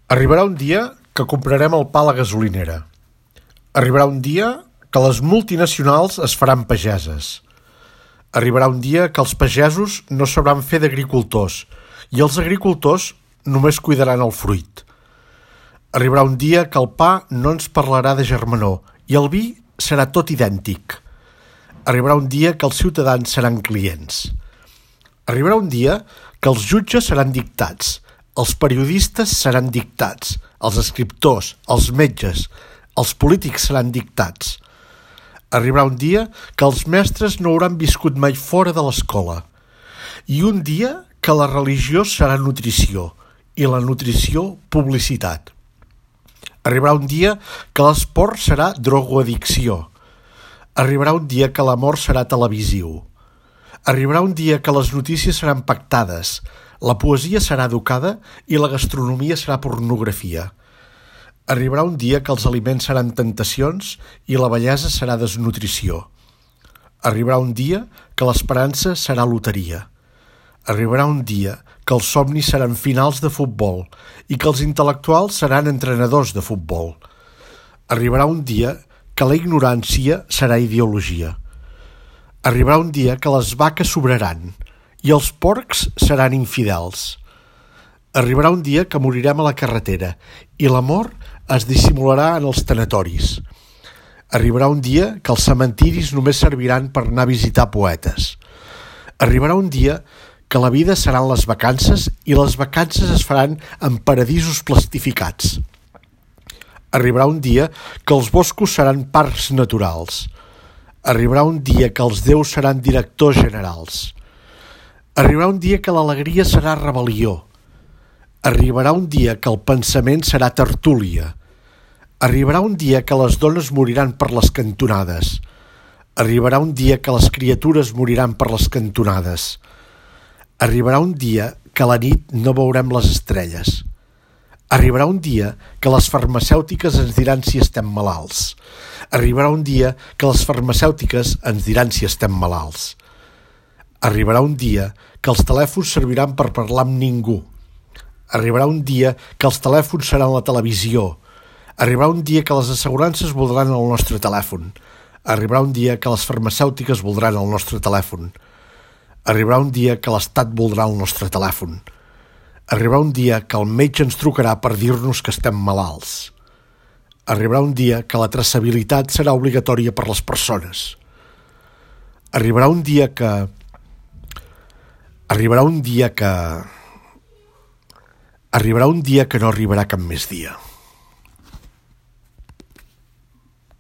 Arribarà un dia que comprarem el pa a la gasolinera. Arribarà un dia que les multinacionals es faran pageses. Arribarà un dia que els pagesos no sabran fer d'agricultors i els agricultors només cuidaran el fruit. Arribarà un dia que el pa no ens parlarà de germanor i el vi serà tot idèntic. Arribarà un dia que els ciutadans seran clients. Arribarà un dia que els jutges seran dictats, els periodistes seran dictats, els escriptors, els metges, els polítics seran dictats. Arribarà un dia que els mestres no hauran viscut mai fora de l'escola. I un dia que la religió serà nutrició i la nutrició publicitat. Arribarà un dia que l'esport serà drogoaddicció. Arribarà un dia que l'amor serà televisiu. Arribarà un dia que les notícies seran pactades, la poesia serà educada i la gastronomia serà pornografia. Arribarà un dia que els aliments seran tentacions i la bellesa serà desnutrició. Arribarà un dia que l'esperança serà loteria. Arribarà un dia que els somnis seran finals de futbol i que els intel·lectuals seran entrenadors de futbol. Arribarà un dia que la ignorància serà ideologia. Arribarà un dia que les vaques sobraran i els porcs seran infidels. Arribarà un dia que morirem a la carretera i l'amor es dissimularà en els tanatoris. Arribarà un dia que els cementiris només serviran per anar a visitar poetes. Arribarà un dia que la vida seran les vacances i les vacances es faran en paradisos plastificats. Arribarà un dia que els boscos seran parcs naturals. Arribarà un dia que els déus seran directors generals. Arribarà un dia que l'alegria serà rebel·lió. Arribarà un dia que el pensament serà tertúlia. Arribarà un dia que les dones moriran per les cantonades. Arribarà un dia que les criatures moriran per les cantonades. Arribarà un dia que a la nit no veurem les estrelles. Arribarà un dia que les farmacèutiques ens diran si estem malalts. Arribarà un dia que les farmacèutiques ens diran si estem malalts. Arribarà un dia que els telèfons serviran per parlar amb ningú. Arribarà un dia que els telèfons seran la televisió. Arribarà un dia que les assegurances voldran el nostre telèfon. Arribarà un dia que les farmacèutiques voldran el nostre telèfon. Arribarà un dia que l'Estat voldrà el nostre telèfon. Arribarà un dia que el metge ens trucarà per dir-nos que estem malalts. Arribarà un dia que la traçabilitat serà obligatòria per les persones. Arribarà un dia que no arribarà cap més dia.